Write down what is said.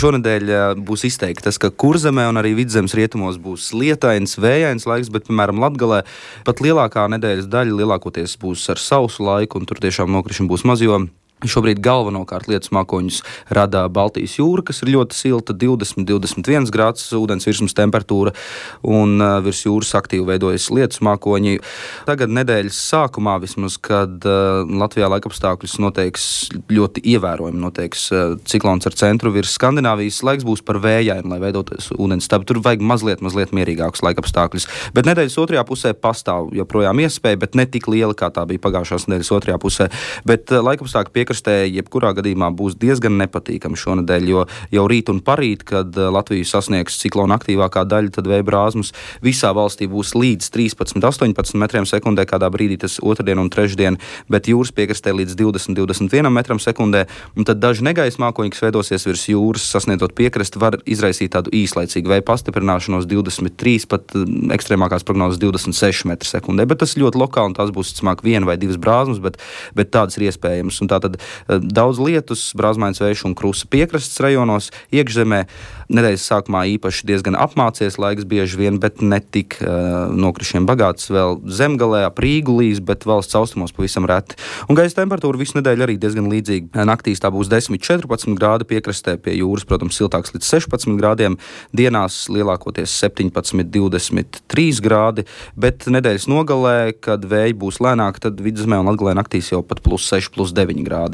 Šonedēļ būs izteikti tas, ka Kurzemē un arī Vidzemes rietumos būs lietains, vējains laiks, bet, piemēram, Latgalē pat lielākā nedēļas daļa lielākoties būs ar sausu laiku, un tur tiešām nokrišņi būs maz, jo šobrīd galvenokārt lietus mākoņus rada Baltijas jūra, kas ir ļoti silta, 20-21 grāds ūdens virsmas temperatūra, un virs jūras aktīvi veidojas lietus mākoņi. Tagad nedēļas sākumā vismaz, kad Latvijā laikapstākļus noteiks ļoti ievērojami, noteiks ciklons ar centru virs Skandināvijas, laiks būs par vējainu, lai veidotos ūdens stabi. Tur vajag mazliet mierīgākus laikapstākļus. Bet nedēļas otrajā pusē pastāv joprojām iespēja, bet ne tik liela, kā tā bija pagājušās nedēļas otrajā pusē. Bet laikapstākļi jebkurā gadījumā būs diezgan nepatīkami šonedēļ, jo jau rīt un parīt, kad Latviju sasniegs ciklona aktīvākā daļa, tad vēja brāzmas visā valstī būs līdz 13-18 metriem sekundē, kādā brīdī tas otrdien un trešdien, bet jūras piekrastē līdz 20-21 metram sekundē, un tad daži negaisa mākoņi, kas veidosies virs jūras, sasniedzot piekrasti, var izraisīt tādu īslaicīgu vēja pastiprināšanos 23, pat ekstrēmākās prognozes 26 metru sekundē, bet tas ļoti lokāli, un tās būs visticamāk 1 vai 2 brāzmas, bet tādas ir iespējamas, un tātad daudz lietus, brāzmains vējš un krusa piekrastes rajonos, iekšzemē nedēļas sākumā īpaši diezgan apmācies laiks bieži vien, bet ne tik nokrišņiem bagāts, vēl zemgalē ap Rīgu līs, bet valsts austrumos pavisam reti. Un gaisa temperatūra visu nedēļu arī diezgan līdzīga. Naktīs tā būs 10-14 grādi piekrastē, pie jūras, protams, siltāks līdz 16 grādiem, dienās lielākoties 17-23 grādi, bet nedēļas nogalē, kad vēji būs lēnāki, tad Vidzemē un Latgalē naktīs jau pat +6, +9 grādi.